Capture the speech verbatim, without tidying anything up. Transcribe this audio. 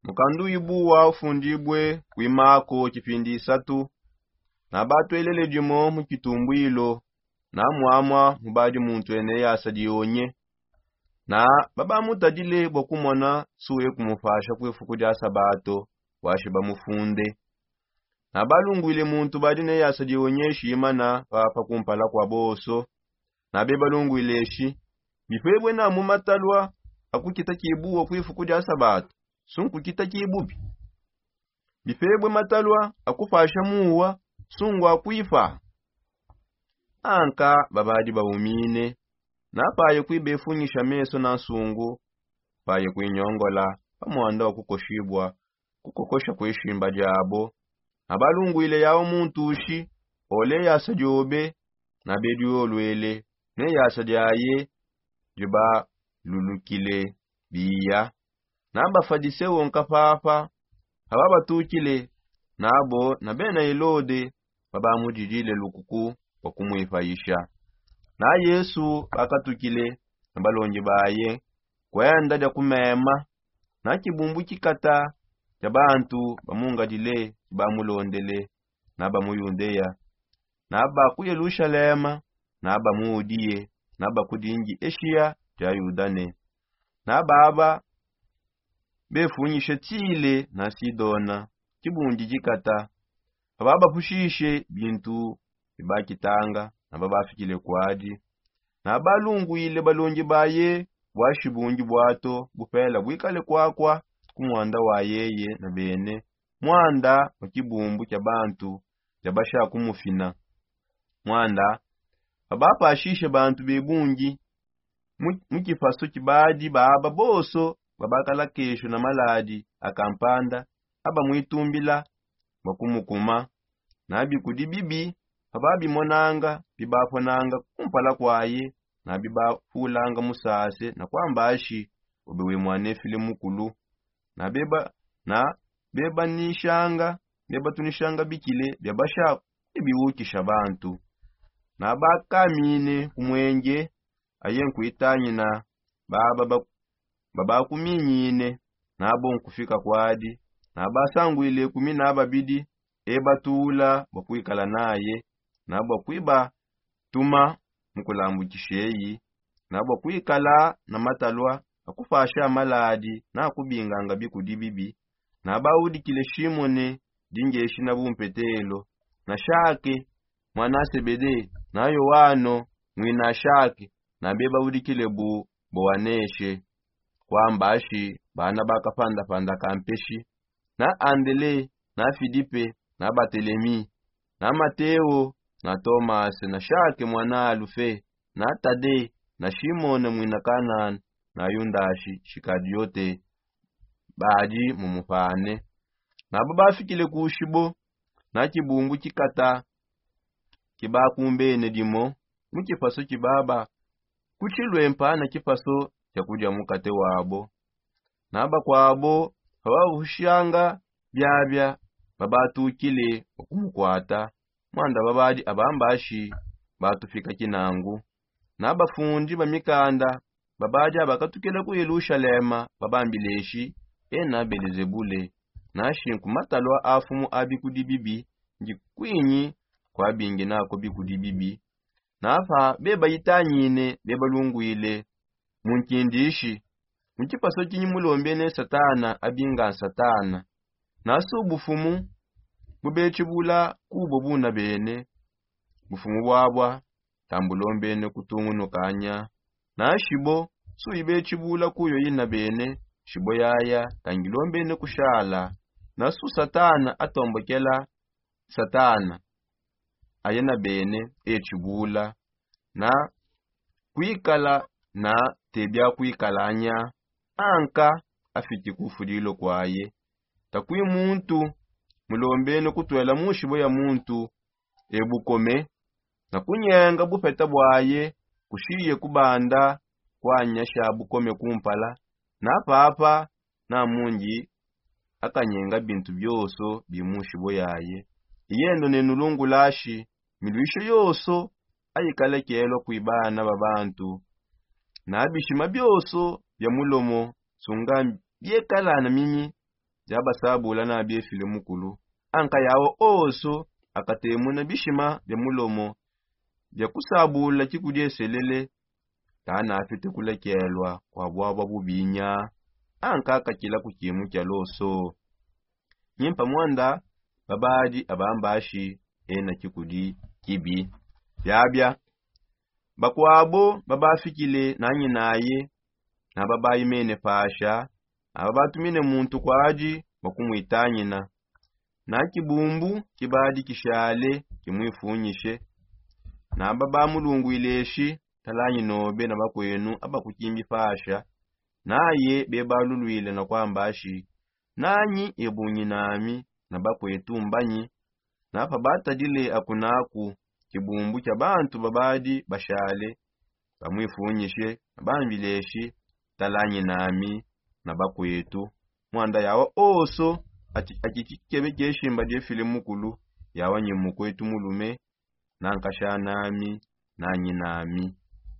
Mukandu wibuwa ufundibue kuimako kipindi isatu. Na batwelele dimo mu kitumbwilo, na mwamwa mubadi muntu ene yasa dionye. Na babamutadile bua kumona suye kumupasha kuifuku dia sabato, washi bamufunde. Na balungwile muntu badi ne yasa dionye shimana papa kumpala kua boso. Na bebalungwile eshi: bipebue na mu matalua akukita kibuwa kuifuku dia sabato, sunkukita kibubi. Bipebue matalua akupasha muwa, sungua kuipa. Anka babadi baumine. Na paye kuibefunyisha meso na nsungu, paye kuinyongola pa mwanda wa kukoshibua kukokosha kuishimba diabo. Na balungwile yawo muntu ushi ole yasa diobe, na bediolwele ne yasa diaye dibalulukile biya. Na bafadiseo nkapapa ababatukile, nabo na bena Helode babamudidile lukuku bua kumuipayisha. Na Yesu bakatukile na balongi baye kuenda dia kumema. Na kibumbu kikata kia bantu bamungadile, bamulondele na ba mu Yudea, na ba ku Yelushalema, na ba mu Udiye, na ba ku dingi Eshiya dia Yudane. Na baba befunyishe Tile na Sidona, kibundi dikata, ababapushishe bintu bibakitanga, na babafikile kuadi. Na balungwile balongi baye bua shibundi buato bupela buikale kuakua ku mwanda wa yeye na bene, mwanda wa kibumbu kia bantu biabasha kumufina. Mwanda babapashishe bantu bebungi mu kipaso kibadi baba bonso babakalakesho na maladi a kampanda aba muitumbila bua kumukuma. Na bikudi bibi pababimonanga bibaponanga kumpala kuaye, na bibapulanga musase na kuamba ashi: ube we muanefile mukulu. Na beba na bebanishanga bebatunishanga bikile biabasha kubiwukisha bantu. Na bakamine ku mwenge aye nkuitangina baba babakuminyine. Nabo nkufika kuadi, na basangwile kumi na babidi ebatula bua kuikala naye, na bua kuibatuma mu kulambukisha eyi, na bua kuikala na matalua akupasha maladi na kubinganga bikudi bibi. Na baudikile Shimone dingeshi na bumpetelo, na Shake muana Sebede, na Yoano muina Shake, na bebaudikile bu Boaneshe, kuamba ashi bana ba kapandapanda ka mpeshi, na Andele, na Filipe, na Batelemi, na Mateo, na Tomase, na Shake muana Alufe, na Tade, na Shimone muina Kanana, na Yundashi Shikadiote, badi mumupane. Na babafikile ku shibo, na kibumbu kikata kibakumbene dimo mu kipaso kibaba kutshilue mpana kipaso kia kudia mukate wabo. Na bakuabo bababushanga biabia babatukile bua kumukuata, mwanda babadi abamba ashi: batufika kinangu. Na bafundi ba mikanda babadi abakatukila ku Yelushalema babambile eshi: ena Belezebule, nashi nku matalua a mfumu a bikudi bibi ndi kuinyi kuabinginako bikudi bibi. Na pa bebayitangine bebalungwile mu nkindishi: mu kipaso kinyi mulombene Satana abinga Satana? Na su bufumu bubetshibula kubo buna bene, bufumu buabua tambulombene kutungunuka nya. Na shibo su ibetshibula kuyo ina bene, shibo yaya tangilombene kushala. Na su Satana atombokela Satana aye na bene etshibula na kuikala na te bia kuikala nya, anka afiki ku fudilo kuaye. Takui muntu mulombene kutuela mu shibo ya muntu e bukome, na kunyenga bupeta buaye kushiye kubanda kuanyasha bukome kumpala, na papa na mundi akanyenga bintu bionso bi mu shibo yaye. Iyendo ne nulungulashi miluisho yonso ayikalekelua kui bana ba bantu, na bishima bionso bia mulomo sunga biekala na minyi Diabasabula na biefile mukulu, anka yawa oso akatemuna bishima bia mulomo bia kusabula kikudieselele. Kana afite kulakelwa kwa bwabwa bubinya, anka akakila ku kimu kia loso. Nyimpa mwanda babadi abambashi ena kikudi kibi. Biabia bakwabo babafikile na nyinaye, na babayimene pasha, na babatumine muntu kwadi bakumwitanyina. Na kibumbu kibadi kishale kimwifunyishe, na babamulungwileshi talanyi nobe na bakwenu abakukimbi pasha. Naye bebalulwile na kwambashi, nanyi ebunyi nami na bakwetu mbanyi? Na pabatadile akunaku kibumbu kia bantu babadi bashale bamwifunyishe na bambileshi talanyi nami na bakwetu. Mwanda yawa oso ati akikikebe kieshimba diefile mukulu, yawa nyi mukwetu mulume, na nkasha nami, na nyi nami.